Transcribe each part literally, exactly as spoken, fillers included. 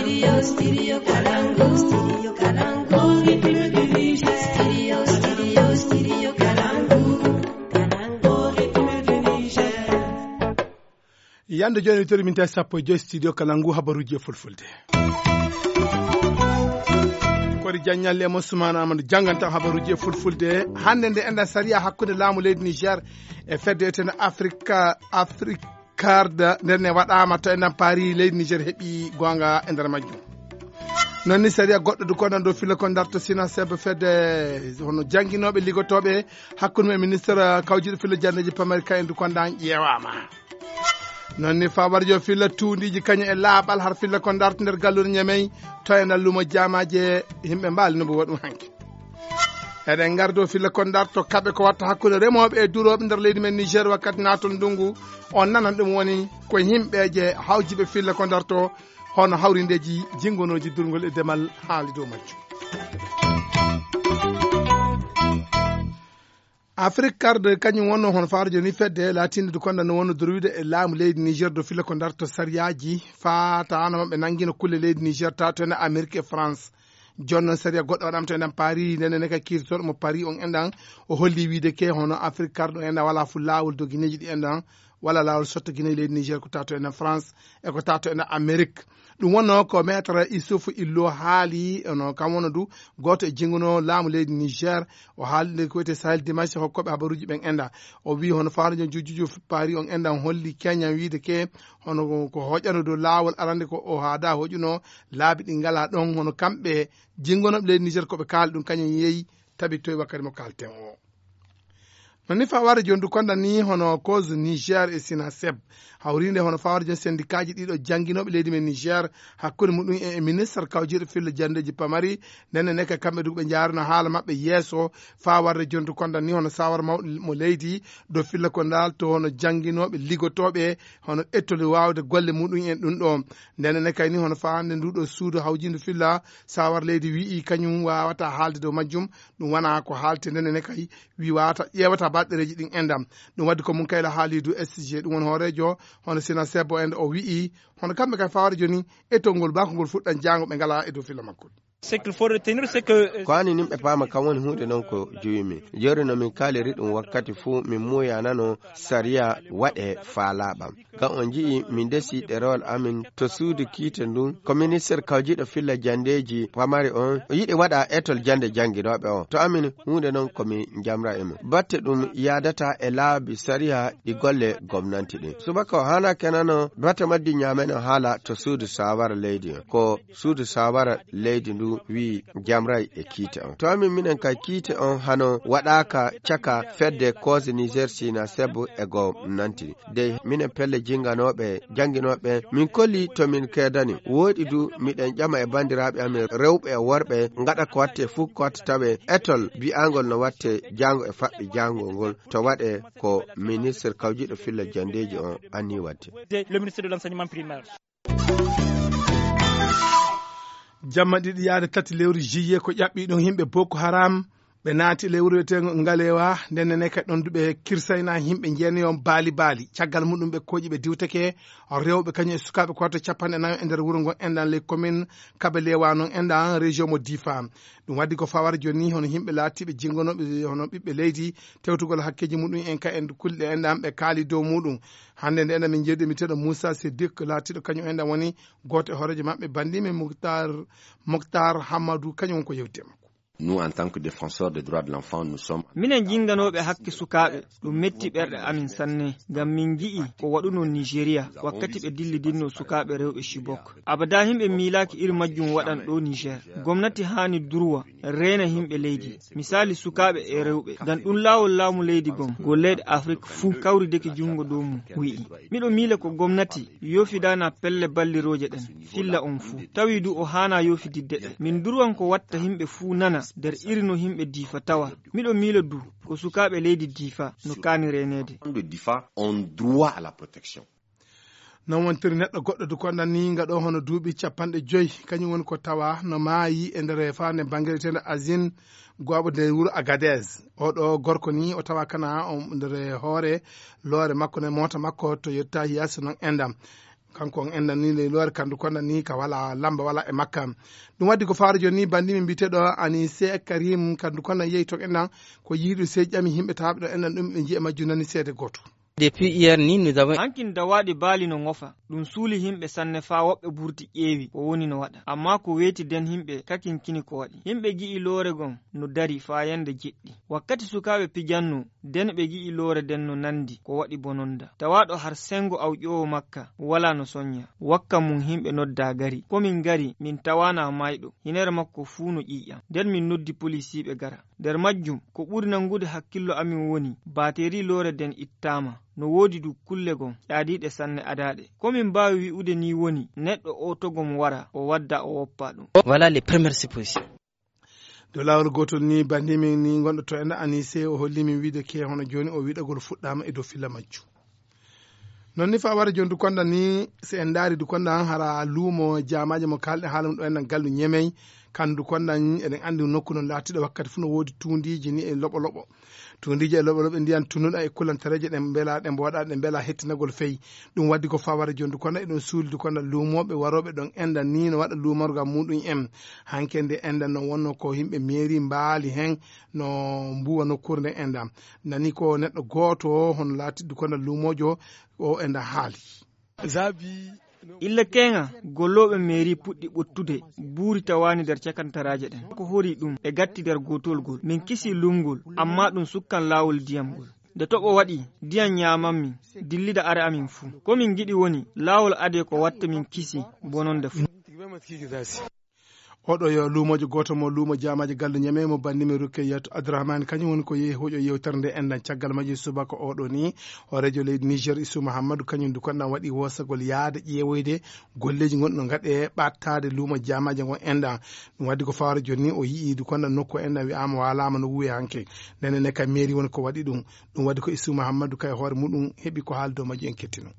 Studio, Studio Kalangu, Studio Kalangu, République du Niger. Studio, Studio, Studio Kalangu, Kalangu, République du Niger. Yande jooni, tori min tawi sappo e joy studio kala ngu habaruuji e fulfulde. Kori Diagne Ñalle e mo Soumana Amadou jannganta habaruuji e fulfulde. Hannde nde enda sariya hakkunde laamu leydi Niger e fedde etene Afrique, Afrique Card, nden ne waɗaama to enden paari leydi Niger heɓi goonga e nder majjum. Non ni sariya goɗɗo du kondan dow filla kon darto sina sebe fedde hono jannginooɓe liggotooɓe hakkunde e ministre kawjiɗo filla jandeji pamari ka en du kondan ƴeewaama. Non ni faa warjo filla tuundiiji kañum e laaɓal har filla kon darto nder gallure Ñamey to e nder lumo jaamaaje yimɓe mbaali no mbo waɗum hanki. Eɗen ngardo filla kon darto kaɓe ko watta hakkunde remooɓe e durooɓe nder leydi men Niger wakkati naatol ndungu. On nanan ɗum woni ko yimɓeeje hawjiɓe filla kon darto hono hawrindeeji jingonooji durngol e demal haali dow majjum. Afrique Card kañum wonno hono faaro joni fedde laatinde du konda no wonno dorwide e laamu leydi Niger do filla ko darto sariyaaji faataano maɓɓe nangino kulle leydi Niger tato en Amérique e France. Jonno sariya goɗɗo waɗam to enen paari ndene ne ka kirtoɗo mo paari on enɗan o holli wiide ke hono Afrique Card ɗo enɗan wala fu laawol dogineeji ɗi enɗan wala laawol sotto Guinée leydi Niger ko tato enen France e ko tato enen Amérique. Ɗum wonno ko maître Issouf Illo haali ono kam wona du gooto e jinguno laamu leydi Niger. O haali nde ko wiyete Sahel Dimanche hokkoɓe habaruuji ɓen enda o wi hono faaro jon jujjuju paari on enɗan holli keñan wiide ke hono ko hoƴano dow laawol arande ko o haada hoƴuno laabi ɗi ngala ɗon hono kamɓe jingonoɓe leydi Niger koɓe kaali ɗum kañum yeeyi tabittoye wakkati mo kalten o. Non ni faware joni du konda ni hono cause Niger e Sinaseb hawrinde hono faware joni sendikaaji ɗiɗo jannginoɓe leydi men Niger hakkunde muɗum e e ministre kawjiɗo filla jandeji pamari. Nenne neka kamɓe du ɓe jaarino haala maɓɓe yeeso fawarde joni du konda ni hono sawar mawɗo mo leydi do filla ko ndal to hono jannginoɓe liggotooɓe hono ɓettode wawde golle muɗum en ɗum ɗo. Ndene ne kayni hono fawande nduɗo suudu hawjindu filla sawar leydi wi'i kañum wawata haalde dow majjum. Ɗum wona ko haalte ndene ne kay wi wawata ƴeewata baɗɗereeji ɗin endam. Ɗum waddi ko mum kayla haalidu S G ɗum woni hooreejo hono sina sebbo en o wi'i hono kamɓe kay faware joni etol ngol bako ngol fuɗɗan jaango ɓe ngala e dow filla makkol. Ko ani nin ɓe paama kan woni huunde non ko juwimi. Jori no min kaaliri ɗum wakkati fuu min muuyanano sariya waɗe faa laaɓam. Ngam on nji'i min ndesi ɗerewol amin to suudu kiite ndun ko minister kawjiɗo filla jandeeji pamari on o yiɗi waɗa etol jande jannginooɓe on. To amin huunde non ko min njamra e mum. Batte ɗum yaadata e laabi sariya ɗi golle gomnanti ɗin. Subaka o haana kenano batte majji ñaameno haala to suudu saawara leydi on. Ko suudu saawara leydi ndu wi'i jamray e kiite on. To amin minen kay kiite on hano waɗaaka caka fedde koosi Niger Sina Sebu e gomnanti. Dey minen pelle jinganooɓe, jannginooɓe, min kolli to min keedani. Wooɗi du miɗen ƴama e banndiraaɓe amin rewɓe e worɓe ngaɗa ko watte fuu ko watta tawe etol bi'angol no watte jaango e faɓɓi jaangol ngol to waɗe ko ministre kawjiɗo filla jandeeji on anni waɗde. Le ministre de l'enseignement primaire. Jamma ɗiɗi yaade tati lewru juillet ko ƴaɓɓi ɗon yimɓe Boko Haram ɓe naati lewru wiyeteengo Ngalewa ndennene kadi ɗon duɓe kirsayna yimɓe jeenayon baali baali caggal muɗum ɓe kooƴi ɓe diwtake rewɓe kañum e sukaaɓe ko watta capanɗe nayo e nder wuro ngo enɗan ley commune Kabe Lewa non enɗan région mo Difa. Ɗum waddi ko fawara joni hono yimɓe laatiiɓe jingonooɓe hono ɓiɓɓe leydi tewtugol hakkeeji muɗum en ka en kulɗe enɗan ɓe kaali dow muɗum. Hannde nde enen min njeewdi e mbiteeɗo Moussa Siddiq laatiiɗo kañum en ɗan woni gooto e hooreejo maɓɓe banndi men Mouhtar Mouhtar Hammadou kañum woni ko yewti e makko. Nous, en tant que défenseurs des droits de l'enfant, nous sommes. Minen jinnganooɓe hakke sukaaɓe ɗum metti ɓerɗe amin sanne ngam min nji'i ko waɗunoo Nigeria wakkati ɓe dillidinno sukaaɓe rewɓe Chibok. Abada yimɓe miilaaki iri majjum waɗan ɗo Niger. Gomnati haani durwa reena yimɓe leydi. Misaali sukaaɓe e rewɓe ngam ɗum laawol laamu leydi gom golleeɗe Afrik fuu kawrideke junngo dow mum wi'i. Miɗo miila ko gomnati yofidaana pelle ballirooje ɗen filla on fuu. Tawi du o haana yofididde ɗe. Min durwan ko watta yimɓe fuu nana nder iri no yimɓe Difa tawa. Miɗo miila du ko sukaaɓe leydi Difa no kaani reeneede. De Difa ont droit à la protection. Non wontiri neɗɗo goɗɗo du konɗan ni nga ɗo hono duuɓi capanɗe joyi kañum woni ko tawa no maayi e nder faande banngereteende Asin gooɓo nder wuro Agadez. Oɗo gorko ni o tawa kana nder hoore loore makko ne moota makko to yetta yaasi non endam. Kanko on enɗan ni ley loore kandu konɗan ni ka wala lamba wala e makka. Ɗum waddi ko faaro jooni ni banndi min mbiteɗo ani se karim kandu konɗan yehi to enɗan ko yiiɗu se ƴami himɓe taɓe ɗo enɗan ɗum ɓe njiya majju nani seede gooto. Depuis hier ni nous avons hankin dawaaɗi baali no ngofa. Ɗum suuli himɓe sanne faa woɓɓe burti ƴeewi ko woni no waɗa. Ammaa ko weeti den himɓe kakinkini ko waɗi. Himɓe gi'i loore gon no dari faa yande jeɗɗi. Wakkati sukaaɓe pijanno den ɓe gi'i loore den no nandi ko waɗi bononda. Tawaaɗo har sengo awƴoowo makka walaa no sonya. Wakka mum himɓe noddaa gari. Ko min gari min tawaanaa mayɗo. Hinere makko fuu no ƴiiƴam. Nden min noddi polisiiɓe gara. Nder majjum, ko ɓuri nangude hakkillo amin woni, baateeri loore den ittaama. No woodi du kulle gon, ƴaadiiɗe sanne adaaɗe. Ko min mbaawi wi'ude nii woni, neɗɗo oo to gom wara, o wadda o woppa ɗum. Voilà les premières suppositions. Dow laawol gootol ni, banndi min ni gonɗo to enda Anise, o holli min wiide ke hono jooni o wiɗagol fuɗɗaama e dow filla majju. Non ni faa wara jondu konda ni, si en ndaari du konda hara luumo jaamaaji mo kaalɗe haala mum ɗo en nan gallu Ñemey, kandu konda eɗen anndi nokku non laatiiɗo wakkati fuu no woodi tuundiiji ni e loɓo loɓo. Tuundiiji e loɓo loɓo ndiyan tunnuɗa e kulantareeje ɗen mbela ɗe mbooɗa ɗe mbela hettinagol fey. Ɗum waddi ko faa wara jondu konda eɗen suuldu konda luumooɓe warooɓe ɗon enɗan ni no waɗa luumorgal muɗum en. Hanke nde enɗan non wonno ko yimɓe meeri mbaali hen no mbuuwa nokkuure nden enɗan. Nani ko neɗɗo gooto hono laatiiɗo konda luumoojo o enɗan haali. Illa keeŋa, gollooɓe meeri puɗɗi ɓuttude buuri tawaani nder cakantaraaje ɗen. Ko hori ɗum e gatti nder gootol gol. Min kisii luumgol, ammaa ɗum sukkan laawol diyam ngol. Nde toɓo waɗi, diyam ñaaman min, dillida are amin fuu. Ko min ngiɗi woni, laawol adee ko watta min kisii bononde fuu. Oɗo yo luumoojo gooto mo luumo jaamaaji gallu Ñamey mo banndi men Rukkeyatu Abdurahmani, kañum woni ko yehi hoƴo yewtere nde enɗan. Caggal majjum subaka oɗo ni, hooreejo leydi Niger Isu Muhammadu, kañum du konɗan waɗi woosagol yaade ƴeewoyde golleeji gonɗi no gaɗe ɓattaade luumo jaamaaji ngon enɗan. Ɗum waddi ko fawara jooni ni o yi'i du konɗan nokku enɗan wi'aama waalaama no wuwe hanke. Ndenen ne ka meeri woni ko waɗi ɗum. Ɗum waddi ko Isu Muhammadu kay hoore muɗum heɓi ko haali dow majjum en kettino.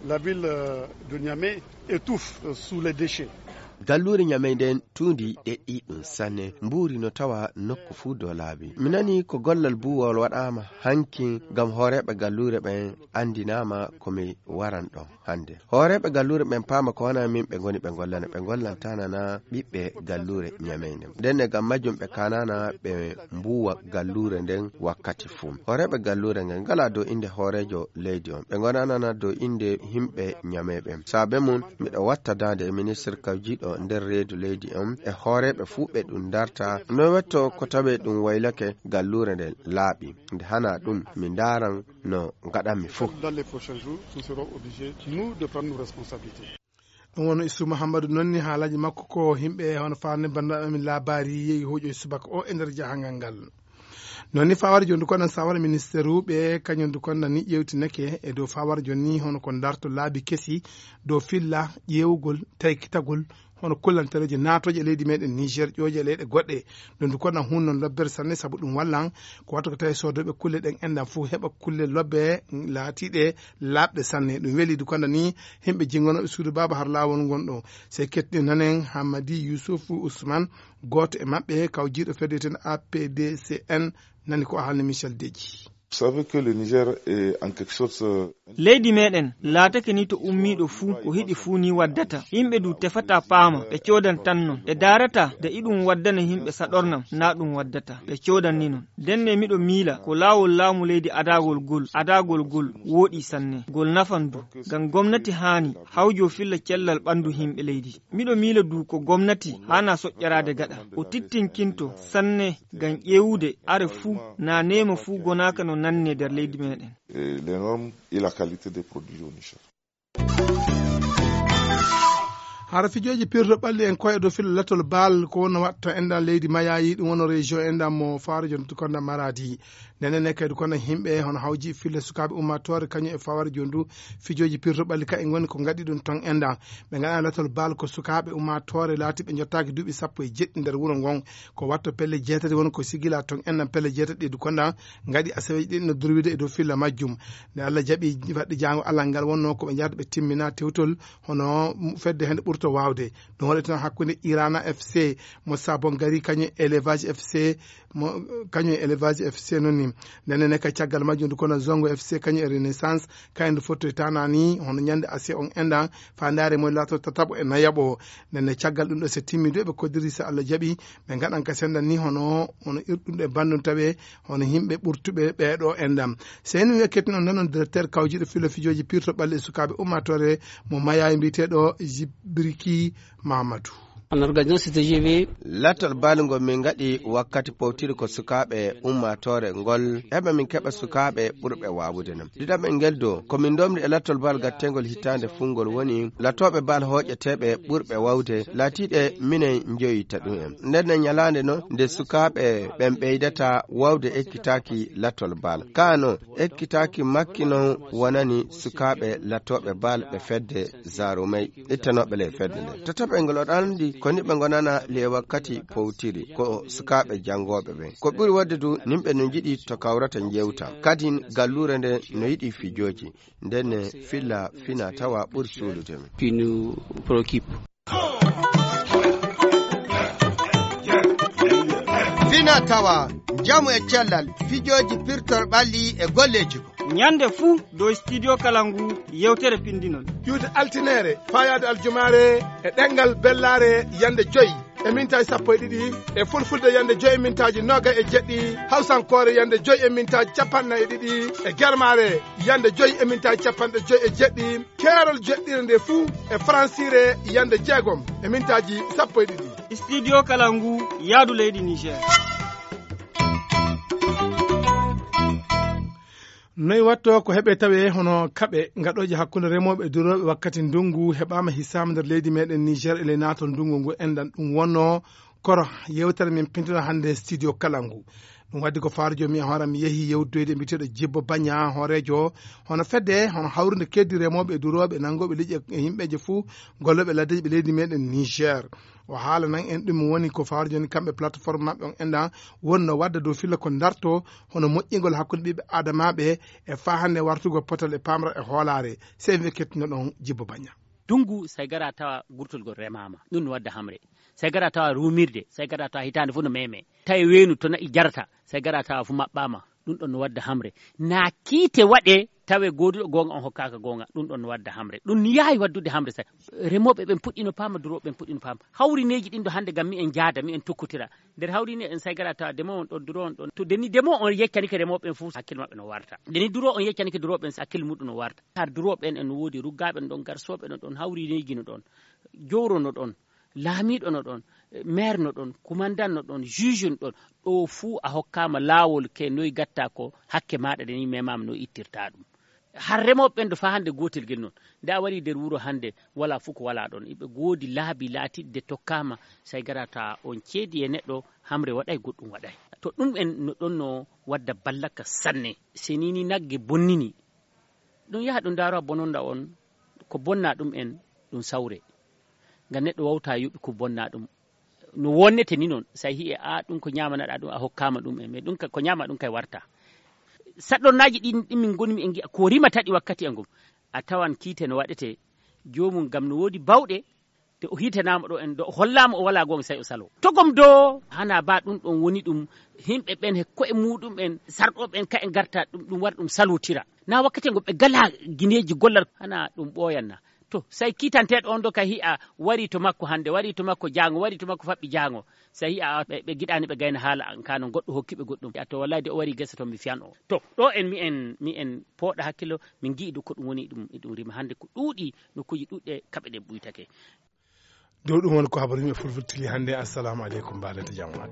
La ville, euh, de Niamey étouffe, euh, sous les déchets. Galluure Ñamey nden tuundi ɗeɗɗi ɗum sanne, mbuuri no tawa nokku fuu dow laabi. Mi nani ko gollal buuwol waɗaama hanki ngam hooreeɓe galluure ɓen anndinaama ko mi waran ɗon hannde. Hooreeɓe galluure ɓen paama ko wanaa min ɓe ngoni ɓe ngollana, ɓe ngollantaanana ɓiɓɓe galluure Ñamey nden. Nden ne ngam majjum ɓe kaanaana ɓe mbuuwa galluure nden wakkati fuu. Hooreeɓe galluure ngen ngalaa dow innde hooreejo leydi on. Ɓe ngonaanana dow innde yimɓe Ñamey ɓen. Saabe mum, miɗo watta daande e ministirka jiiɗo nder reedu leydi on e hooreeɓe fuu ɓe ɗum darta. No wetto ko tawee ɗum waylake galluure nden laaɓi. Nde hanaa ɗum, mi ndaaran no ngaɗanmi fuu. Dans les prochains jours, nous serons obligés, nous, de prendre nos responsabilités. Ɗum woni Isu Muhammadu nonni haalaaji makko ko yimɓe hono faande banndiraaɓe amin laabaari yehi hoƴo subaka o e nder jahangal ngal. Non ni fawara jooni kono sawara ministeeruɓe kañum du kono ni ƴeewtinake e dow fawara jooni ni hono ko darto laabi kesi dow filla ƴeewugol taykitagol hono kullantereeji naatooje e leydi meɗen Niger ƴooƴe e leyɗe goɗɗe. Ɗum du kono hun non lobbere sanne sabu ɗum wallan ko watta ko tawi soodooɓe kulle ɗen enɗan fof heɓa kulle lobbe laatiiɗe laaɓɗe sanne. Ɗum weli du kono ni yimɓe jingonooɓe suudu baaba har laawol ngon ɗo. Sey kettini nanen Hammadi Yusuf Usman, gooto e maɓɓe, kawjiiɗo fedde ten A P D C N, nani ko haalni Michel Deji. Vous savez que le Niger est en quelque sorte, euh, leydi meɗen laatake ni to ummiiɗo fuu, ko hiɗi fuu ni waddata. Yimɓe du tefata paama, ɓe coodan tan non. Ɓe daarata de iɗum waddana yimɓe saɗornam, na ɗum waddata. Ɓe coodan ni non. Ndenne miɗo miila ko laawol laamu leydi adagol gol, adagol gol wooɗi sanne. Gol nafan du. Ngam gomnati haani hawjo filla cellal ɓandu yimɓe leydi. Miɗo miila du ko gomnati haana soƴƴaraade gaɗa. O tittinkinto sanne ngam ƴeewude are fuu na neema fuu gonaaka no nanne nder leydi meɗen. Et les normes et la qualité des produits au Niger. Hara fijooji pirɗo ɓalli en koye dow filo latol baal ko wonno watta enɗan leydi mayayi ɗum wonno région enɗan mo faaro jontu konda maradi. Ndenen ne kadi kono yimɓe hono hawji fille sukaaɓe ummatore kañum e fawara jondu fijooji pirɗo ɓalli ka e ngoni ko ngaɗi ɗum ton enɗan. Ɓe ngaɗa latol baal ko sukaaɓe ummatore laati ɓe jottaaki duuɓi sappo e jeɗɗi nder wuro ngon. Ko watto pelle jeetati woni ko sigila ton enɗan pelle jeetati ɗi du konda ngaɗi asaweji ɗi no durwide e dow filla majjum. Nde Allah jaɓi fadde jango Allah ngal wonno ko ɓe jahata ɓe timmina tewtol hono fedde hende ɓurto wawde. Ɗum waɗi toon hakkunde Irana F C mo Sabon Gari kañum e Élevage F C mo kañum e Élevage F C noon ni. Ndenne ne ka caggal majjum ndu kono Zongo F C kañum e Renaissance, kayen ndu fottoytaana ni hono ñande asiya on enɗan, faandaare mum laato tataɓo e nayaɓo. Ndenne caggal ɗum ɗo so timmi du eɓe koddiri so Allah jaɓi, ɓe ngaɗan ka sendan ni hono, hono irɗum ɗe bandum tawe, hono yimɓe ɓurtuɓe ɓeeɗo enɗan. Seyni wiya kettin on nanon directeur kawjiɗo filo fijooji pirto ɓalli e sukaaɓe ummaatoore mo Mayaay mbiyeteeɗo Jibriki Mamadou. En organisant cette G V. Lattol bal ngol min ngaɗi wakkati powtiri ko sukaaɓe ummaatoore ngol, heɓa min keɓa sukaaɓe ɓurɓe waawude non. Ɗiɗaɓel ngel do, ko min ndomri e lattol bal gattengol hitaande fungol woni lattooɓe bal hooƴeteeɓe ɓurɓe waawde, laatiiɗe minen njoyita ɗum en. Nden ne ñalaande no nde sukaaɓe ɓen ɓeydata waawde ekkitaaki lattol bal. Kaa no ekkitaaki makki non wonani sukaaɓe lattooɓe bal ɓe fedde Zarumay. Ittanooɓe ley fedde nde. Tataɓel ngol, oɗon anndi ko ni ɓe ngonana ley wakkati powtiri, ko sukaaɓe janngooɓe ɓen. Ko ɓuri waɗde du, nimɓe no njiɗi to kawrata njewta. Kadin galluure nde no yiɗi fijooji. Nden ne filla fina tawa ɓuri suulude men. Qui nous préoccupe. Fina tawa, njamu e cellal, fijooji pirtor ɓalli e golleeji. Ñande fuu dow Studio Kalangu yewtere pinndinol. Ƴuwde altineere, faayaade aljumaare e ɗemngal bellaare yande joy e mintaaji sappo e ɗiɗi, e fulfulde yande joy e mintaaji noogay e jeɗɗi, hawsankoore yande joy e mintaaji capanɗe nayi e ɗiɗi, e germaare yande joy e mintaaji capanɗe joy e jeɗɗi, keerol jeɗɗire nde fuu e faransiire yande jeegom e mintaaji sappo e ɗiɗi. Studio Kalangu, yaadu leydi Niger. Noy watto ko heɓe tawe hono kaɓe gaɗooje hakkunde remooɓe e durooɓe wakkati ndungu heɓaama hisaama nder leydi meɗen Niger e ley naatol ndungu ngu enɗan ɗum wonno koro yewtere min pintino hannde studio kala ngu. Ɗum waddi ko faaro jomi e hooram mi yehi yewtoyde mbiteɗo Jibbo Bagna hoorejo hono fedde hono hawrude keddi remooɓe e durooɓe nangooɓe liƴƴi e yimɓeje fuu gollooɓe laddeji ɓe leydi meɗen Niger. O haalanan en ɗum woni ko faaro jooni kamɓe plateforme maɓɓe on enɗan wonno wadda dow filla ko darto hono moƴƴingol hakkunde ɓiɓɓe adamaaɓe e faa hannde wartugol potal e paamral e hoolaare. Sey mi kettinno ɗon Jibbo Bagna. Dungu, sey gara tawa gurtol gol remaama. Ɗum no wadda hamre. Sey gara tawa ruumirde, sey gara tawa hitaande fof no meme. Tawi weenu to na'i jarata, sey gara tawa fof maɓɓaama. Ɗum ɗon no wadda hamre. Na kiite waɗe tawe gooduɗo goonga on hokkaaka goonga. Ɗum ɗon no wadda hamre. Ɗum ni yaawi waddude hamre sey. Remooɓe ɓen puɗɗino paama, durooɓe ɓen puɗɗino paama. Hawrineeji ɗin ɗo hannde ngam mi en jaada, mi en tokkotira. Nder hawrineeji en sey gara tawa demoo on ɗon, duroo on ɗon. To deni demoo on yeccanike remooɓe ɓen fof hakkille maɓɓe no warta. Deni duroo on yeccanike durooɓe ɓen hakkille muɗum no warta. Har durooɓe ɓen en no woodi ruggaaɓe no ɗon, garsooɓe no ɗon, hawrineeji no ɗon, jowro no ɗon, laamiiɗo no ɗon, maire no ɗon, kumandan no ɗon, juge no ɗon. Ɗo fuu a hokkaama laawol ke noy gatta ko hakke maaɗa deni memaama no ittirta ɗum. Har remooɓe ɓen ɗo faa hannde gootel gel noon. Nde a warii nder wuro hannde, walaa fof ko walaa ɗoon. Iɓe ngoodi laabi laatiiɗi nde tokkaama, so a garata on ceedi e neɗɗo, hamre waɗay, goɗɗum waɗay. To ɗum en no ɗoon no wadda ballaka sanne. So nii ni nagge bonnini, ɗum yaha ɗum ndaara bononda on, ko bonna ɗum en, ɗum sawre. Ngam neɗɗo wawta yoɓi ko bonna ɗum. No wonnete ni noon, so a hi'i, a, ɗum ko ñaamanaɗaa ɗum, a hokkaama ɗum en. Mais ɗum ka, ko ñaama ɗum kay warta. Saɗɗornaaji ɗin, ɗin min ngoni mi en ngi'a ko rimata ɗi wakkati e ngum. A tawan kiite no waɗete, joomum ngam no woodi bawɗe, te o hiitanaama ɗo en, ɗo o hollaama o walaa goonga, sey o saloo. Togom do, hana ba ɗum ɗon woni ɗum, yimɓe ɓen he ko'e muuɗum en, sarɗooɓe en, ka en ngarta ɗum, ɗum wara ɗum salotira. Na wakkati ngo ɓe gala gineeji gollal, hana ɗum ɓooyan na. To, sey kiitanteeɗo on do ka hi'a wari to makko hannde, wari to makko jaango, wari to makko faɓɓi jaango. Sey hi'a ɓe, ɓe giɗaani ɓe gayna haala an, ka non goɗɗo hokki ɓe goɗɗum. A to wallahi de o wari gesa to mi fiyan o. To, ɗo en mi en, mi en pooɗa hakkilo, min ngi'i ɗum ko ɗum woni ɗum, e ɗum rima hannde ko ɗuuɗi, nokkuuji ɗuuɗɗe kaɓe ɗen ɓuytake. Dow ɗum woni ko habaru yimɓe fulfultili hannde. Assalamu aleykum, mbaɗen to jam waɗ.